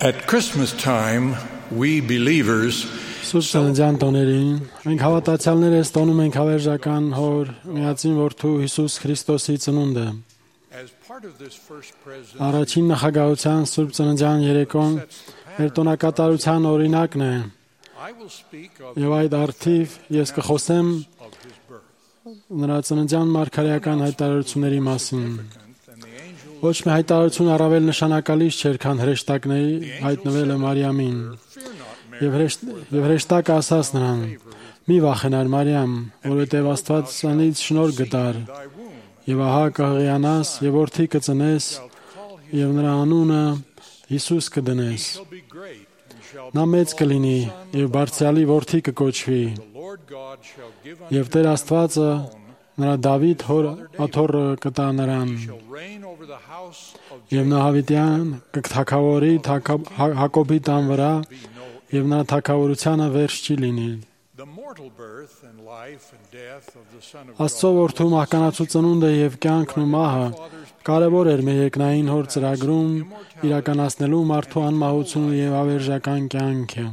At Christmas time, we believers Սուրբ Ծննդյան տոներին մենք հավատացյալները ստոնում ենք հավերժական Հոր միածին Որդու Հիսուս Քրիստոսի ծնունդը։ Առաջին նախագահության Սուրբ Ծննդյան երեկոն մեր տոնակատարության օրինակն է։ Եվ այդ առթիվ ես կխոսեմ նրա ծննդյան մարգարեական հայտարարությունների մասին։ Ոչ մի հայտարարություն առավել նշանակալից չէր, քան հրեշտակների հայտնվելը Մարիամին։ Եվ հրեշտակը ասաց նրան. «Մի վախենար Մարիամ, որովհետև Աստված ցանից շնորհ գտար, եւ ահա կհղիանաս եւ որդի կծնես, եւ նրա անունը Հիսուս կդնես։ Նա մեծ կլինի եւ բարձրալի որդի կկոչվի, եւ Տեր Աստվածը նրա Դավիթ աթոռը կտա նրան, եւ նա Հավիտյան կթագավորի Հակոբի տան վրա, եւ նրա թագավորությանը վերջ չի լինի»։ Աստծո որդու մահկանացու ծնունդը եւ կյանքն ու մահը կարևոր էր մեր երկնային Հոր ծրագրում իրականացնելու մարդու անմահությունը եւ ավերժական կյանքը։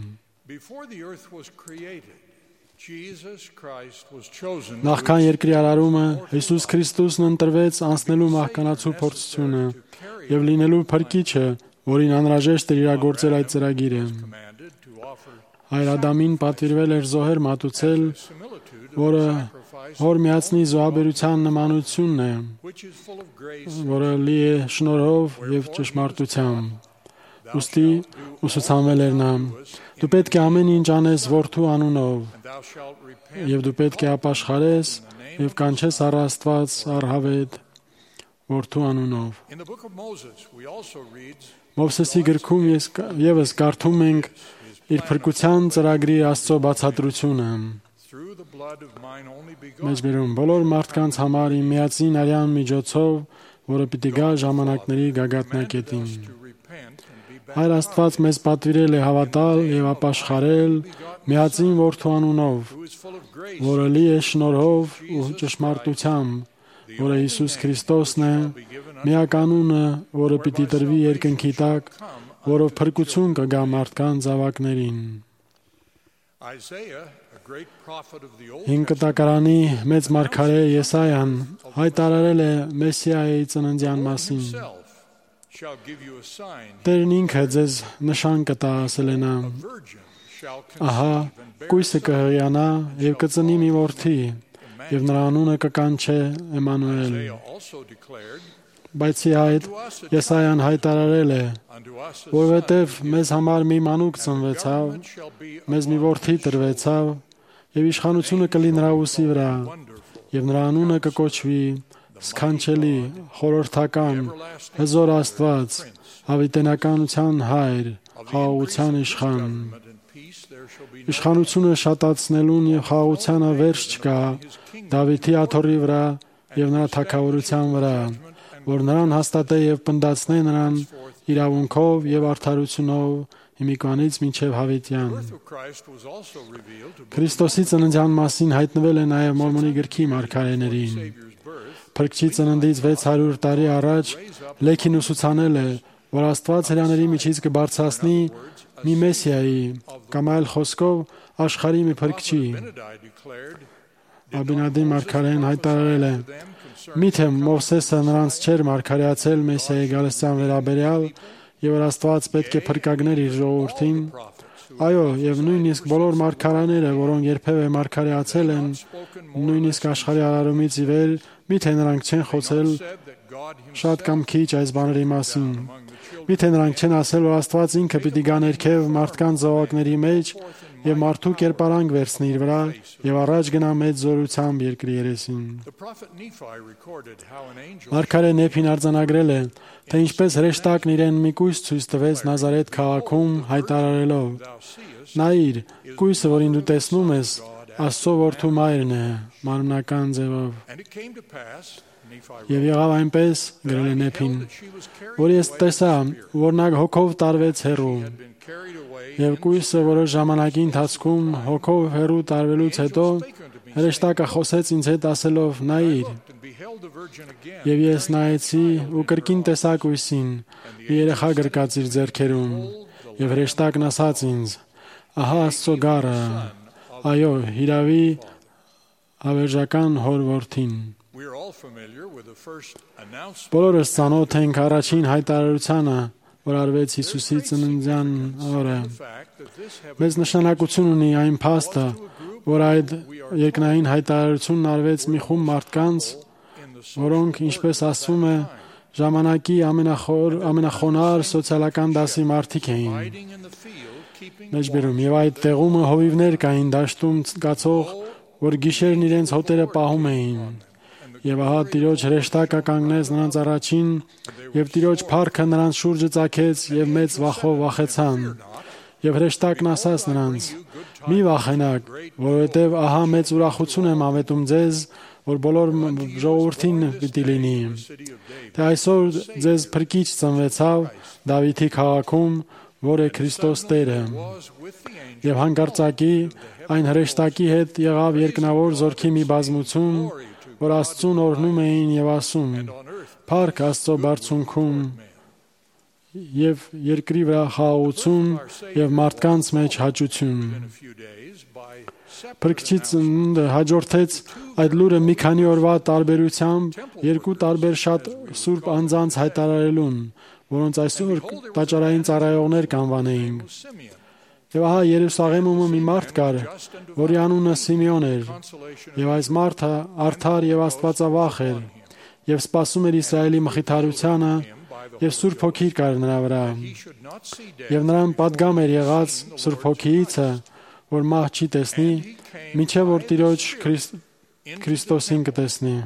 Նախքան երկրի արարումը Հիսուս Քրիստոսն ընտրվեց անցնելու մահկանացու փորձությունը եւ լինելու փրկիչը, որին անհրաժեշտ էր իրագործել այդ ծրագիրը։ Հայր Ադամին պատվիրվել էր զոհեր մատուցել, որը Հոր միածնի զոհաբերության նմանությունն է, որը լի է շնորհով եւ ճշմարտությամբ։ Ուստի ուսուցանվել էր նա. «Դու պետք է ամեն ինչ անես Որդու անունով, եւ դու պետք է ապաշխարես եւ կանչես առ Աստված առհավետ Որդու անունով»։ Մովսեսի գրքում եւս կարդում ենք իր փրկության ծրագրի Աստծո բացատրությունը։ Մեջբերում բոլոր մարդկանց համար իմ միածին արյան միջոցով, որը պիտի գա ժամանակների գագաթնակետին։ Հայր Աստված մեզ պատվիրել է հավատալ եւ ապաշխարել միածին Որդու անունով, որը լի է շնորհով ու ճշմարտությամբ, որը Հիսուս Քրիստոսն է, միականունը, որը պիտի տրվի երկնքի տակ, որով փրկություն կգա մարդկանց զավակներին։ Հինկտակարանի մեծ մարգարե Եսայան հայտարարել է Մեսիայի ծննդյան մասին։ Տերն ինքը ձեզ նշան կտա, ասել է նա. «Ահա կույսը կհղիանա եւ կծնի մի որդի, եւ նրա անունը կկանչե Էմանուել»։ Բայց այդ Եսայան հայտարարել է, որովհետև մեզ համար մի մանուկ ծնվեցավ, մեզ մի որդի տրվեցավ, եւ իշխանությունը կլի նրա ուսի վրա, եւ նրա անունը կկոչվի Սքանչելի, Խորհրդական, Հզոր Աստված, Հավիտենականության Հայր, Խաղաղության Իշխան։ Իշխանությունը շատացնելուն եւ խաղաղությանը վերջ չկա Դավիթի աթոռի վրա եւ նրա թագավորության վրա, որ նրան հաստատե եւ պնդացնե նրան իրավունքով եւ արդարությունով հիմիկվանից մինչև Հավիտյան։ Քրիստոսի ծննդյան մասին հայտնվել է նաեւ Մորմոնի գրքի մարգարեներին։ Փրկչի ծննդից 600 տարի առաջ Լեքին ուսուցանել է, որ Աստված հրաների միջից կբարձրացնի մի Մեսիայի կամ այլ խոսքով աշխարհի մի փրկչի։ Աբինադի մարգարեն հայտարարել է. «Միթե Մովսեսը նրանց չէր մարգարեացել Մեսիայի գալստյան վերաբերյալ, եւ որ Աստված պետք է փրկագներ իր ժողովրդին։ Այո, եւ նույնիսկ բոլոր մարգարաները, որոնք երբևէ մարգարեացել են, նույնիսկ աշխարհի արարումից ի վեր, միթե նրանք չեն խոսել շատ կամ քիչ այս բաների մասին։ Միթե նրանք չեն ասել, որ Աստված ինքը պիտի գա ներքև մարդկանց զավակների մեջ եւ մարդու կերպարանք վերցնի իր վրա եւ առաջ գնա մեծ զորությամբ երկրի երեսին»։ Մարգարե Նեփին արձանագրել է, թե ինչպես հրեշտակն իրեն մի կույս ցույց տվեց Նազարեթ քաղաքում հայտարարելով. «Նայիր, կույսը, որին դու տեսնում ես, Աստծո որդու մայրն է, մարմնական ձևով»։ Եվ եղավ այնպես, գրել է Նեփին, որ ես տեսա, որ նա հոգով տարվեց հեռու։ Եվ կույսը որոշ ժամանակի ընթացքում հոգով հեռու տարվելուց հետո հրեշտակը խոսեց ինձ հետ ասելով. «Նայիր»։ Եվ ես նայեցի ու կրկին տեսա կույսին, մի երեխա գրկած իր ձեռքերում, եւ հրեշտակն ասաց ինձ. ահա Աստծո գառը, այո, հիրավի հավերժական հոր որդին։ Բոլորս ծանոթ ենք առաջին հայտարարությանը, որ արվեց Հիսուսի ծննդյան օրը։ Մեծ նշանակություն ունի այն փաստը, որ այդ երկնային հայտարարությունն արվեց մի խումբ մարդկանց, որոնք, ինչպես ասվում է, ժամանակի ամենախոնար սոցիալական դասի մարդիկ էին։ Մեջբերում, եւ այդ տեղումը հովիվներ կային դաշտում կացող, որ գիշերն իրենց հոտերը պահում էին։ Եվ ահա Տիրոջ հրեշտակը կանգնեց նրանց առաջին, եւ Տիրոջ փառքը նրանց շուրջը ծագեց, եւ մեծ վախով վախեցան։ Եվ հրեշտակն ասաց նրանց. մի վախենաք, որովհետեւ ահա մեծ ուրախություն եմ ավետում ձեզ, որ բոլոր ժողովրդին պիտի լինի։ Թե այսօր ձեզ փրկիչ ծնվեցավ Դավիթի քաղաքում, որ է Քրիստոս Տերը։ Եվ հանկարծակի այն հրեշտակի հետ եղավ երկնավոր զորքի մի բազմություն, որ Աստծուն օրհնում էին եւ ասում. Փառք Աստծո բարձունքում եւ երկրի վրա խաղաղություն եւ մարդկանց մեջ հաճություն։ Փրկչի ծնունդը հաջորդեց այդ լուրը մի քանի օրվա տարբերությամբ երկու տարբեր շատ սուրբ անձանց հայտարարելուն, որոնց այսօր տաճարային ծառայողներ կանվանեինք։ Եվ ահա Երուսաղեմում մի մարդ կար, որի անունը Սիմեոն էր, եւ այս մարդը արդար եւ աստվածավախ էր, եւ սպասում էր Իսրայելի մխիթարությանը, եւ Սուրբ Հոգի կար նրա վրա։ Եվ նրան պատգամ էր եղած Սուրբ Հոգիիցը, որ մահ չի տեսնի, մինչև որ Տիրոջ Քրիստոսին կտեսնի։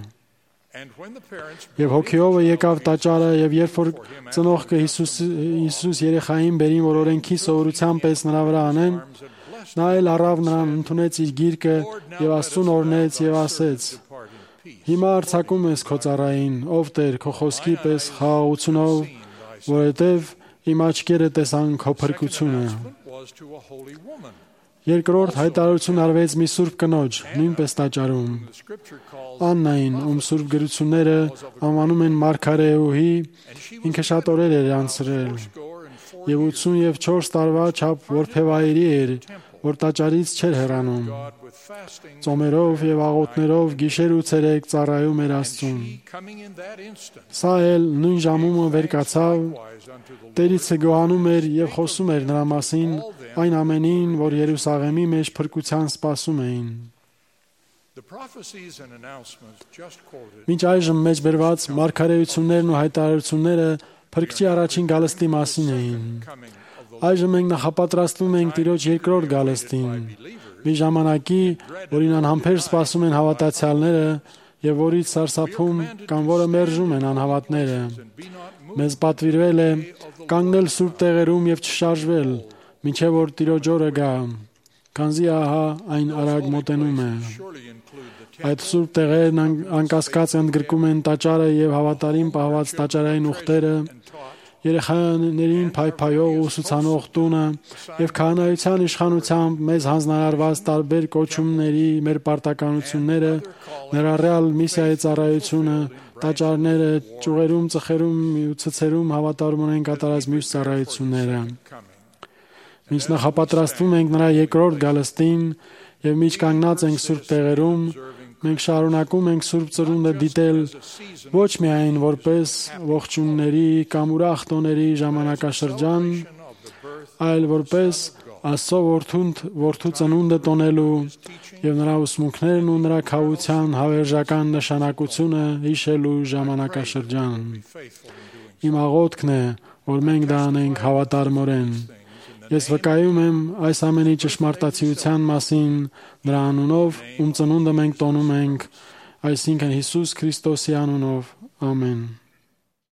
Եվ հոգիովը եկավ տաճարը, եւ երբ որ ծնողքը Հիսուս երեխային բերին, որ օրենքի սովորության պես նրա վրա անեն, նա էլ առավ նրան, ընդունեց իր գիրկը եւ Աստծուն օրհնեց եւ ասեց. Հիմա արձակում ես քո ծառային, ով Տեր, քո խոսքի պես խաղաղությունով, որովհետեւ իմ աչքերը տեսան քո փրկությունը։ Երկրորդ հայտարարություն արվեց մի սուրբ կնոջ, նույնպես տաճարում։ Աննային, ում սուրբ գրությունները անվանում են Մարգարեուհի, ինքը շատ օրեր էր անցրել, եւ 84 տարվա չափ որբևայրի էր, որ տաճարից չէր հեռանում։ Ծոմերով եւ աղոթներով գիշեր ու ցերեկ ծառայում էր Աստծուն։ Սա էլ նույն ժամումը վեր կացավ, Տերիցը գոհանում էր եւ խոսում էր նրա մասին այն ամենին, որ Երուսաղեմի մեջ փրկության սպասում էին։ Մինչ այժմ մեջբերված մարգարեություններն ու հայտարարությունները Փրկչի առաջին գալստի մասին էին։ Այժմ մենք նախապատրաստվում ենք Տիրոջ երկրորդ գալստին, մի ժամանակի, որին անհամբեր սպասում են հավատացյալները եւ որից սարսափում կամ որը մերժում են անհավատները։ Մեզ պատվիրվել է կանգնել սուրբ տեղերում եւ չշարժվել, մինչեւ որ Տիրոջ օրը գա, քանզի ահա այն արագ մոտենում է։ Այդ սուրբ տեղերն անկասկած ընդգրկում են տաճարը եւ հավատարիմ պահված տաճարային ուխտերը, երեխաներին փայփայող ու ուսուցանող տունը եւ քահանայության իշխանությամբ մեզ հանձնարարված տարբեր կոչումների մեր պարտականությունները, ներառյալ միսիայի ծառայությունը, տաճարները, ճյուղերում, ծխերում ու ցցերում հավատարում ունեն կատարած մյուս ծառայությունները։ Մինչ նախապատրաստվում ենք նրա երկրորդ գալստին եւ միջ կանգնած ենք սուրբ տեղերում, մենք շարունակում ենք Սուրբ Ծնունդը դիտել ոչ միայն որպես ողջունների կամ ուրախ տոների ժամանակաշրջան, այլ որպես Աստծո որդու ծնունդը տոնելու եւ նրա ուսմունքներն ու նրա քավության հավերժական նշանակությունը հիշելու ժամանակաշրջան։ Իմ աղոթքն է, որ մենք դա անենք հավատարմորեն։ Ես վկայում եմ այս ամենի ճշմարտացիության մասին նրա անունով, ում ծնունդը մենք տոնում ենք, այսինքն Հիսուս Քրիստոսի անունով։ Ամեն։